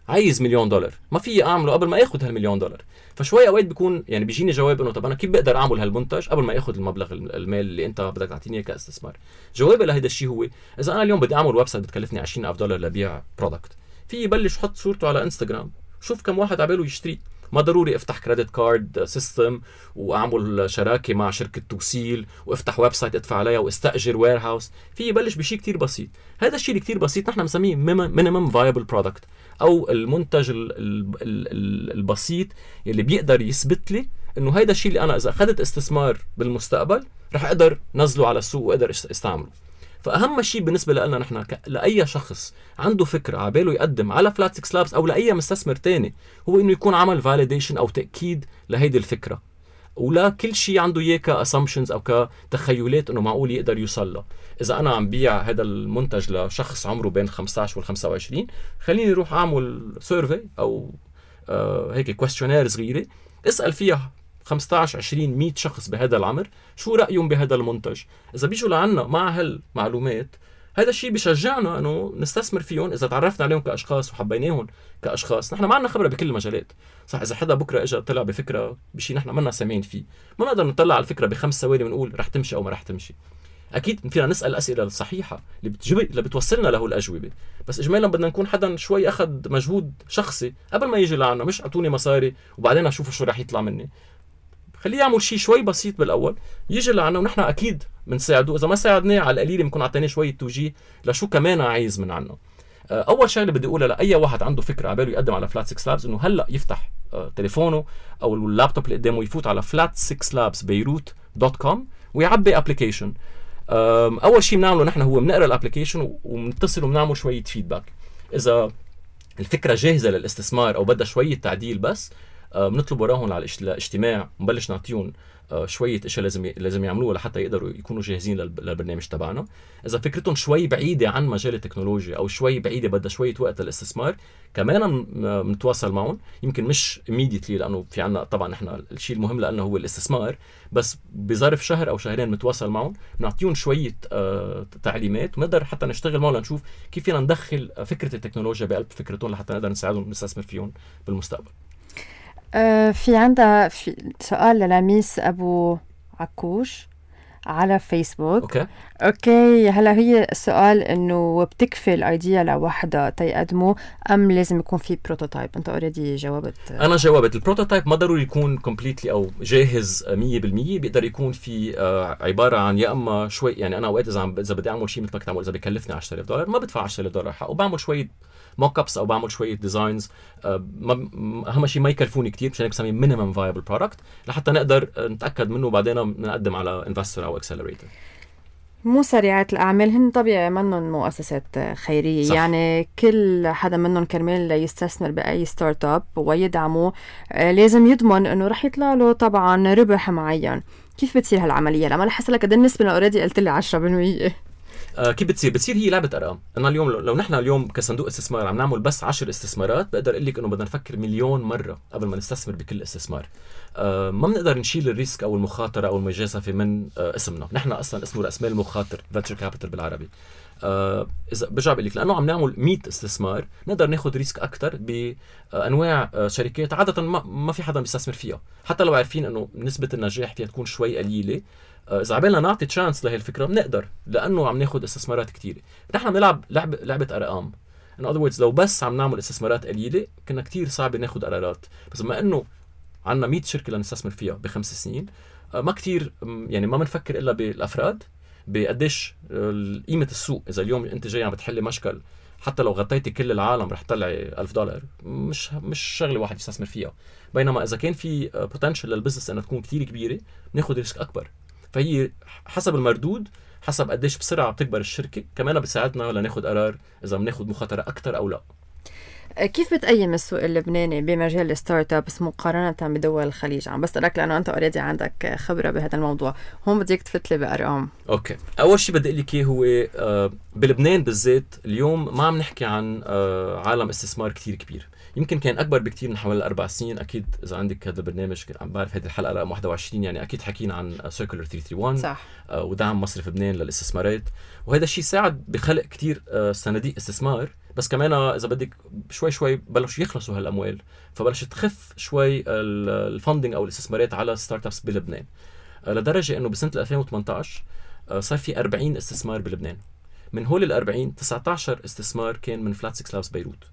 عايز مليون دولار، ما في اعمله قبل ما اخذ هالمليون دولار. فشوي اوقات بيكون يعني بيجيني جواب انه طب انا كيف بقدر اعمل هالمنتج قبل ما اخذ المبلغ المال اللي انت بدك تعطيني كاستثمار. جوابي لهيدا الشيء هو اذا انا اليوم بدي اعمل ويب سايت بتكلفني عشرين ألف دولار لبيع برودكت، في يبلش حط صورته على انستغرام، شوف كم واحد عباله يشتري. ما ضروري افتح كريدت كارد سيستم واعمل شراكه مع شركه توصيل وافتح ويب سايت ادفع عليها واستاجر وير هاوس. في يبلش بشيء كتير بسيط. هذا الشيء كتير بسيط نحن بنسميه مينيمم فايبل برودكت او المنتج البسيط اللي بيقدر يثبت لي انه هيدا الشيء اللي انا اذا اخذت استثمار بالمستقبل رح اقدر نزله على السوق واقدر استعمله. فاهم شيء بالنسبه لنا نحن ك... لاي شخص عنده فكره عباله يقدم على فلات سيكس لابس او لاي مستثمر تاني هو انه يكون عمل فاليديشن او تاكيد لهيدي الفكره، ولا كل شيء عنده اياه كاسامبشنز او كتخيلات انه معقول يقدر يوصل له. اذا انا عم بيع هذا المنتج لشخص عمره بين خمسة عشر وخمسة وعشرين، خليني اروح اعمل سيرفي او آه هيك كويستشنير صغيره اسال فيها خمسة عشر عشرين مية شخص بهذا العمر شو رايهم بهذا المنتج. اذا بيجوا لعنا مع هالمعلومات هذا الشيء بيشجعنا انه نستثمر فيهم. اذا تعرفنا عليهم كاشخاص وحبيناهم كاشخاص، نحن ما عندنا خبره بكل المجالات صح. اذا حدا بكره اجى طلع بفكره بشيء نحن ما لنا سامعين فيه، ما نقدر نطلع على الفكره بخمس ثواني ونقول رح تمشي او ما رح تمشي. اكيد فينا نسال الاسئله الصحيحه اللي بتجيب اللي بتوصلنا له الاجوبه، بس اجمالا بدنا نكون حدا شوي اخذ مجهود شخصي قبل ما يجي لعنا، مش اعطوني مصاري وبعدين اشوفوا شو رح يطلع مني. خليه يعمل شيء شوي بسيط بالاول يجي لعنا ونحن اكيد بنساعده. اذا ما ساعدناه على القليل بنكون اعطيناه شويه توجيه لشو كمان عايز من عنا. اول شغله بدي اقولها لاي واحد عنده فكره عباله يقدم على فلات سيكس لابس انه هلا يفتح تليفونه او اللابتوب اللي قدامه يفوت على فلات سيكس لابس بيروت دوت كوم ويعبي ابلكيشن. اول شيء بنعمله نحن هو بنقرا الابلكيشن وبنتصل وبنعمل شويه فيدباك. اذا الفكره جاهزه للاستثمار او بدها شويه تعديل بس بنطلب وراهم على الاجتماع ونبلش نعطيهم شويه اشياء لازم لازم يعملوها لحتى يقدروا يكونوا جاهزين للبرنامج تبعنا. اذا فكرتهم شوي بعيده عن مجال التكنولوجيا او شوي بعيده بدها شويه وقت للاستثمار كمان بنتواصل معهم. يمكن مش immediately لانه في عنا طبعا احنا الشيء المهم لانه هو الاستثمار، بس بظرف شهر او شهرين بنتواصل معهم بنعطيهم شويه آه تعليمات ونقدر حتى نشتغل معهم لنشوف كيف فينا ندخل فكره التكنولوجيا بقلب فكرتهم لحتى نقدر نساعدهم نستثمر فيهم بالمستقبل. في عندها في سؤال للميس أبو عكوش على فيسبوك. اوكي اوكي هلا هي السؤال انه بتكفي الايديا لوحدها تيقدموا ام لازم يكون في بروتوتايب؟ انت اوريدي جاوبت. انا جاوبت. البروتوتايب ما ضروري يكون كومبليتلي او جاهز مية بالمية، بيقدر يكون في آه عباره عن يا اما شوي، يعني انا اوقات اذا عم اذا بدي اعمل شيء مثل ما كنت اعمل اذا بكلفني عشرة آلاف دولار ما بدفع عشرة آلاف دولار حق، وبعمل شويه موك ابس او بعمل شويه ديزاينز آه اهم شيء ما يكلفوني كثير، مشان هيك بسميه مينيمم فايبل برودكت لحتى نقدر نتاكد منه وبعدين نقدم على انفستور او اكسلريتور. مو سريعات الأعمال هن طبيعي منهم مؤسسات خيرية، صح. يعني كل حدا منهم كرمال يستثمر بأي ستارت اب ويدعمه آه لازم يضمن انه رح يطلع له طبعا ربح معين. كيف بتصير هالعملية؟ لما رح اسالك قد النسبة اللي اوريدي قلت لي عشرة بالمية. آه كيف بتصير؟ بتصير هي لعبة أرقام. أنا اليوم لو, لو نحن اليوم كصندوق استثمار عم نعمل بس عشر استثمارات بقدر أقول لك إنه بدنا نفكر مليون مرة قبل ما نستثمر بكل استثمار. آه ما بنقدر نشيل الريسك أو المخاطرة أو المجازفة من آه اسمنا. نحن أصلا اسمه رأس مال مخاطر venture capital بالعربي. آه إذا برجع بقول لك لأنه عم نعمل مية استثمار نقدر ناخد ريسك أكتر بأنواع آه شركات عادة ما ما في حدا بيستثمر فيها، حتى لو عارفين إنه نسبة النجاح فيها تكون شوي قليلة. إذا عبالنا نعطي تشانس لهي الفكرة بنقدر، لأنه عم ناخد استثمارات كتيرة. نحن بنلعب لعبة لعبة أرقام. In other words لو بس عم نعمل استثمارات قليلة كنا كتير صعب ناخد قرارات، بس بما إنه عنا مية شركة لنستثمر فيها بخمس سنين ما كتير يعني ما بنفكر إلا بالأفراد بقديش قيمة السوق. إذا اليوم أنت جاي عم بتحلي مشكل حتى لو غطيتي كل العالم رح تطلعي ألف دولار، مش مش شغلة واحد يستثمر فيها. بينما إذا كان في potential للبزنس أنها تكون كتير كبيرة بناخد ريسك أكبر. فهي حسب المردود، حسب قديش بسرعة بتكبر الشركة، كمان بتساعدنا لناخد قرار إذا بناخد مخاطرة أكتر أو لا. كيف بتقيم السوق اللبناني بمجال الستارت ابس مقارنة بدول الخليج؟ عم بسألك لأنه أنت أوريدي عندك خبرة بهذا الموضوع، هون بديك تفتلي بأرقام. أوكي، أول شيء بدي أقول لك هو آه بلبنان بالذات اليوم ما عم نحكي عن آه عالم استثمار كتير كبير. يمكن كان أكبر بكتير من حوالي أربع سنين. أكيد إذا عندك هذا البرنامج عم بعرف هذه الحلقة رقم واحد وعشرين، يعني أكيد حكينا عن سيركولر ثلاثمية وواحد وثلاثين صح. آه ودعم مصرف لبنان للاستثمارات، وهذا الشيء ساعد بخلق كتير آه صناديق استثمار. بس كمان إذا بدك شوي شوي بلشوا يخلصوا هالأموال، فبلشت تخف شوي الفاندنج أو الاستثمارات على ستارت أبس بلبنان، آه لدرجة إنه بسنة ألفين وثمانية عشر آه صار في أربعين استثمار بلبنان. من هول الأربعين تسعة عشر استثمار كان من فلات سكس لابس بيروت.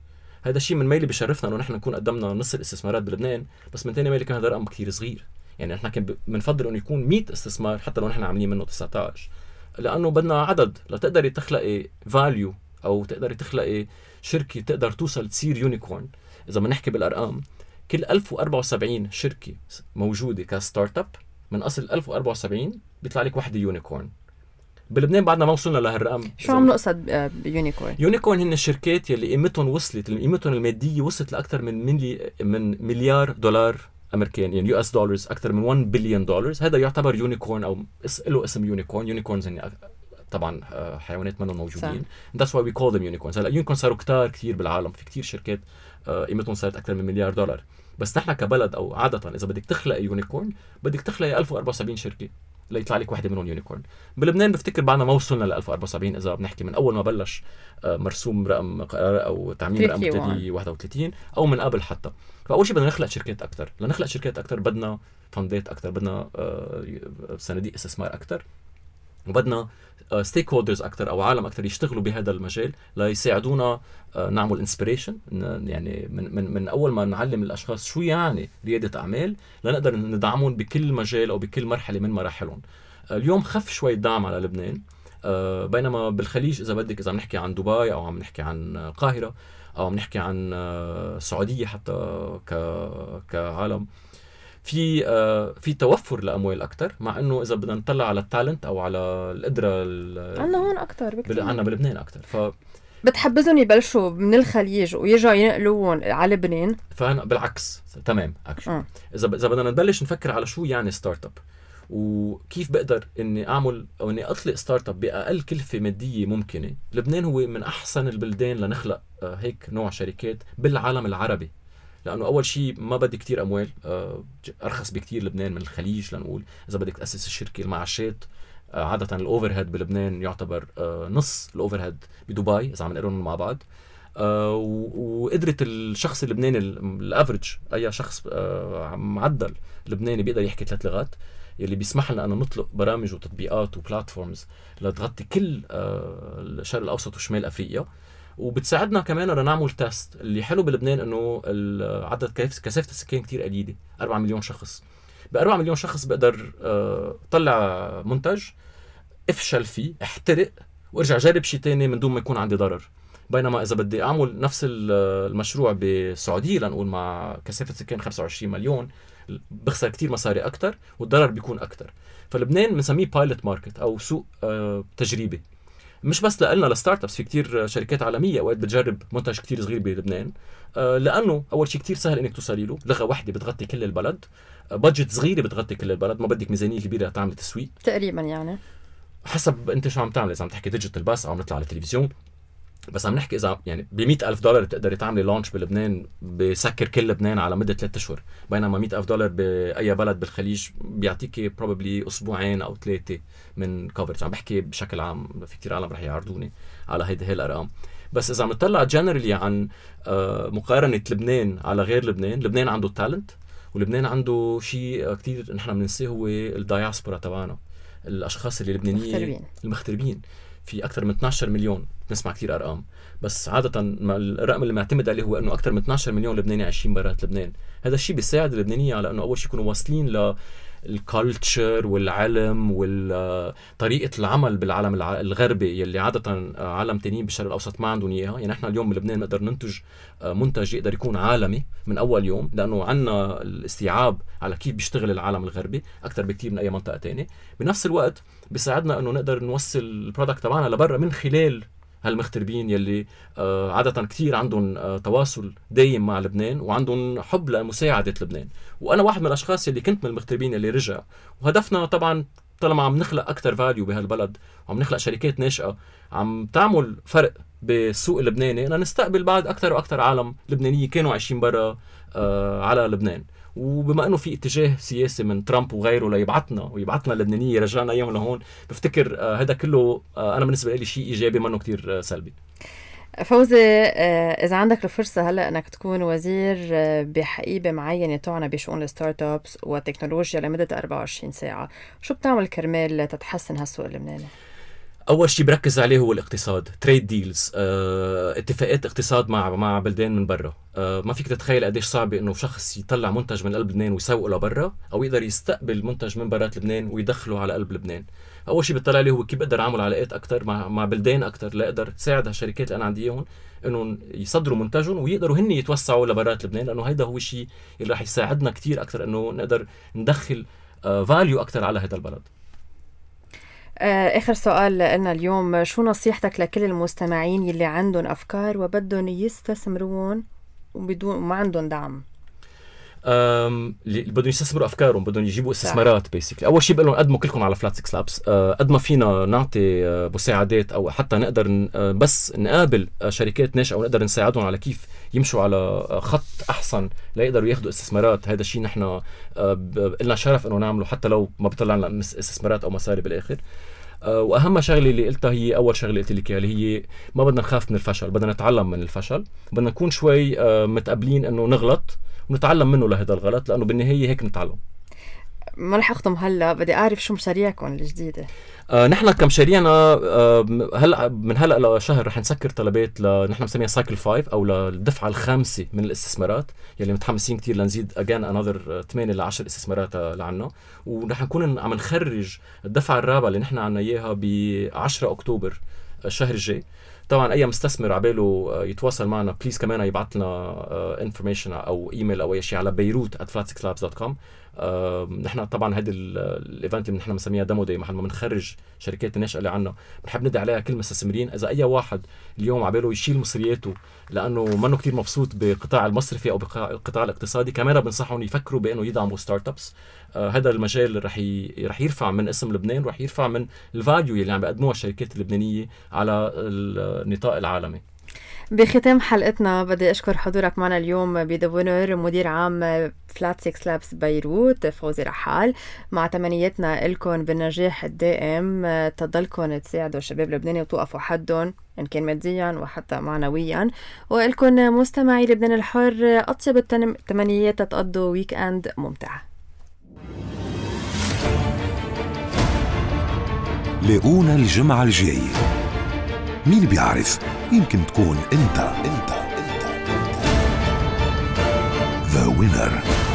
هذا الشيء من ميلي بشرفنا انه نحن نكون قدمنا نص الاستثمارات بلبنان، بس من ثاني ميلي كان هذا رقم كثير صغير. يعني نحن كان بنفضل انه يكون مية استثمار حتى لو نحن عاملين منه تسعة عشر، لانه بدنا عدد لتقدري تخلقي فاليو او تقدري تخلقي شركه تقدر توصل تصير يونيكورن. اذا بنحكي بالارقام كل ألف وأربعة وسبعين شركه موجوده كستارت اب من اصل ألف وأربعة وسبعين بيطلع لك وحده يونيكورن. بلبنان بعدنا ما وصلنا لهالرقم. شو عم نقصد بيونيكورن؟ يونيكورن هن الشركات يلي قيمتهم وصلت قيمتهم الماديه وصلت لاكثر من ملي من مليار دولار امريكان، يعني يو اس دولارز، اكثر من واحد بليون دولار. هذا يعتبر يونيكورن او له اسم يونيكورن. يونيكورنز هن طبعا حيوانات منهم موجودين. That's why we call them unicorns. هلا يونيكورن صاروا كتار كثير بالعالم، في كثير شركات قيمتهم صارت اكثر من مليار دولار. بس نحن كبلد او عاده اذا بدك تخلق يونيكورن بدك تخلق ألف وأربعة وسبعين شركه ليطلع لك واحدة منهم يونيكورن. بلبنان بفتكر بعدنا ما وصلنا ل ألف وأربعة وسبعين إذا بنحكي من أول ما بلش مرسوم رقم أو تعميم رقم ثلاثمية وواحد وثلاثين أو من قبل حتى. فأول شيء بدنا نخلق شركات أكتر. لنخلق شركات أكتر بدنا فندات أكتر، بدنا صناديق استثمار أكتر، وبدنا ستيك هولدرز أكتر أو عالم أكتر يشتغلوا بهذا المجال ليساعدونا نعمل انسبيريشن. يعني من من من أول ما نعلم الأشخاص شو يعني ريادة أعمال لنقدر ندعمهم بكل مجال أو بكل مرحلة من مراحلهم. اليوم خف شوي الدعم على لبنان، بينما بالخليج إذا بدك إذا عم نحكي عن دبي أو عم نحكي عن القاهرة أو عم نحكي عن السعودية حتى ك كعالم في آه في توفر لأموال أكتر، مع إنه إذا بدنا نطلع على التالنت أو على القدرة عنا هون أكتر بكتير، عنا بلبنان أكتر. ف بتحبذهم يبلشوا من الخليج ويرجعوا ينقلوهم على لبنان. فأنا بالعكس تمام أكشن. إذا إذا بدنا نبلش نفكر على شو يعني ستارت اب وكيف بقدر إني أعمل أو إني أطلق ستارت اب بأقل كلفة مادية ممكنة، لبنان هو من أحسن البلدان لنخلق آه هيك نوع شركات بالعالم العربي. لأنه أول شيء ما بدي كتير أموال، أرخص بكتير لبنان من الخليج. لنقول إذا بدك تأسس الشركة المعاشات عادة الأوفر هيد بلبنان يعتبر نص الأوفر هيد بدبي إذا عم نقارنهم مع بعض. آه وقدرت الشخص اللبناني الافريج اي شخص آه معدل لبناني بيقدر يحكي ثلاث لغات يلي بيسمح لنا أن نطلق برامج وتطبيقات وبلاتفورمز لتغطي كل آه الشرق الأوسط وشمال أفريقيا، وبتساعدنا كمان أن نعمل تيست. اللي حلو بلبنان أنه عدد كثافة السكان كتير قليلة، أربعة مليون شخص. بأربعة مليون شخص بقدر آه طلع منتج، افشل فيه، احترق، وارجع جرب شيء تاني من دون ما يكون عندي ضرر. بينما إذا بدي أعمل نفس المشروع بالسعودية لنقول مع كثافة سكان خمسة وعشرين مليون بخسر كتير مصاري أكتر والضرر بيكون أكتر. فلبنان بنسميه بايلوت ماركت أو سوق آه تجريبي، مش بس لقلنا لستارت ابس، في كتير شركات عالمية وقت بتجرب منتج كتير صغير بلبنان، آه لأنه أول شيء كتير سهل إنك توصلي له، لغة واحدة بتغطي كل البلد، آه بادجت صغيرة بتغطي كل البلد، ما بدك ميزانية كبيرة تعمل تسويق تقريبا، يعني حسب أنت شو عم تعمل. إذا عم تحكي ديجيتال بس أو عم نطلع على التلفزيون، بس عم نحكي إذا يعني بمئة ألف دولار تقدري تعملي لانش بلبنان بسكر كل لبنان على مدة ثلاثة أشهر، بينما مئة ألف دولار بأي بلد بالخليج بيعطيكي probably أسبوعين أو ثلاثة من كوفرج. عم بحكي بشكل عام، في كتير عالم رح يعرضوني على هيدا هي الأرقام. بس إذا عم نطلع جنرالي عن مقارنة لبنان على غير لبنان، لبنان عنده تالنت، ولبنان عنده شيء كتير نحن بننسيه هو الداياسبورا تبعنا، الأشخاص اللي لبنانيين المغتربين. في أكثر من اثني عشر مليون، نسمع كتير أرقام، بس عادة الرقم اللي معتمد عليه هو أنه أكثر من اثني عشر مليون لبناني عايشين برات لبنان. هذا الشيء بيساعد اللبنانية على أنه أول شيء يكونوا واصلين للكالتشر والعلم وطريقة العمل بالعالم الغربي يلي عادة عالم تانيين بالشرق الأوسط ما عندهم إياها. يعني إحنا اليوم بلبنان نقدر ننتج منتج يقدر يكون عالمي من أول يوم، لأنه عنا الاستيعاب على كيف بيشتغل العالم الغربي أكثر بكتير من أي منطقة تانية. بنفس الوقت بيساعدنا أنه نقدر نوصل البرودكت تبعنا لبرا من خلال هالمغتربين يلي آه عادة كتير عندهم آه تواصل دايم مع لبنان وعندهم حب لمساعدة لبنان. وأنا واحد من الأشخاص يلي كنت من المغتربين يلي رجع، وهدفنا طبعا طالما عم نخلق أكتر فاليو بهالبلد وعم نخلق شركات ناشئة عم تعمل فرق بالسوق اللبناني، أن نستقبل بعد أكتر وأكتر عالم لبنانية كانوا عايشين برا آه على لبنان. وبما انه في اتجاه سياسي من ترامب وغيره ليبعتنا ويبعتنا اللبنانيه رجعنا ايام لهون، بفتكر آه هذا كله آه انا بالنسبه لي شيء ايجابي منه كتير آه سلبي. فوزي، آه اذا عندك الفرصه هلا انك تكون وزير آه بحقيبه معينه تعنى بشؤون الستارت ابس والتكنولوجيا لمده أربعة وعشرين ساعه، شو بتعمل كرمال تتحسن هالسوق اللبناني؟ اول شيء بركز عليه هو الاقتصاد، تريد ديلز، اه، اتفاقات اقتصاد مع مع بلدان من برا. اه، ما فيك تتخيل قديش صعب انه شخص يطلع منتج من قلب لبنان ويسوقه لبرا، او يقدر يستقبل منتج من برات لبنان ويدخله على قلب لبنان. اول شيء بتطلع عليه هو كيف بقدر اعمل علاقات اكثر مع مع بلدان اكثر لاقدر تساعد هالشركات اللي انا عندي اياهم انه يصدروا منتجهم ويقدروا هن يتوسعوا لبرات لبنان، لانه هيدا هو الشيء اللي راح يساعدنا كثير اكثر انه نقدر ندخل اه فاليو اكثر على هذا البلد. آخر سؤال لنا اليوم، شو نصيحتك لكل المستمعين يلي عندهم أفكار وبدهم يستثمرون وبدون ما عندهم دعم؟ أم اللي بدهم يستثمروا أفكارهم، بدهم يجيبوا استثمارات بيسكلي. أول شيء بقول لهم قدموا كلكم على فلات سكس لابس، قد ما فينا نعطي مساعدات أو حتى نقدر بس نقابل شركات ناشئة ونقدر نساعدهم على كيف يمشوا على خط أحسن ليقدروا ياخدوا استثمارات. هذا الشيء نحن لنا شرف إنه نعمله حتى لو ما بيطلع لنا استثمارات أو مصاري بالآخر. واهم شغله اللي قلتها هي اول شغله قلت لك اللي هي ما بدنا نخاف من الفشل، بدنا نتعلم من الفشل، بدنا نكون شوي متقبلين انه نغلط ونتعلم منه لهذا الغلط، لانه بالنهايه هيك نتعلم. ما رح اختم هلا، بدي اعرف شو مشاريعكم الجديده. آه نحن كمشاريعنا آه هلا من هلا لشهر رح نسكر طلبات ل نحن مسميها سايكل خمسة او للدفعه الخامسه من الاستثمارات يلي متحمسين كتير لنزيد اجان انذر ثمانية ل عشرة استثمارات لعنا، ورح نكون عم نخرج الدفعه الرابعه اللي نحن عنا اياها ب عشرة أكتوبر الشهر الجاي. طبعا اي مستثمر عباله يتواصل معنا بليز كمان يبعث لنا انفورميشن او ايميل او اي شيء على بيروت at flat six labs dot com. آه، نحن طبعا هذا الايفنت اللي نحن بنسميها ديمو داي، محل ما بنخرج شركات الناشئه اللي عنا بنحب ندعي عليها كل مستثمرين. اذا اي واحد اليوم عباله يشيل مصرياته لانه منه كتير مبسوط بالقطاع المصرفي او بالقطاع الاقتصادي، كمان بنصحهم يفكروا بانه يدعموا ستارت ابس. آه، هذا المجال رح ي... رح يرفع من اسم لبنان، رح يرفع من الفاليو اللي عم بيقدموها الشركات اللبنانيه على النطاق العالمي. بختام حلقتنا بدي أشكر حضورك معنا اليوم بذا وينر مدير عام فلات سيكس لابس بيروت فوزي رحال، مع تمنياتنا لكم بالنجاح الدائم، تضلكم تساعدوا الشباب اللبناني وتوقفوا حدهم إن كان ماديا وحتى معنويا، وإلكم مستمعي لبنان الحر أطيب التمنيات تقضوا ويك أند ممتع. لاقونا الجمعة الجاية، مين بيعرف يمكن تكون انت انت انت, انت. The Winner.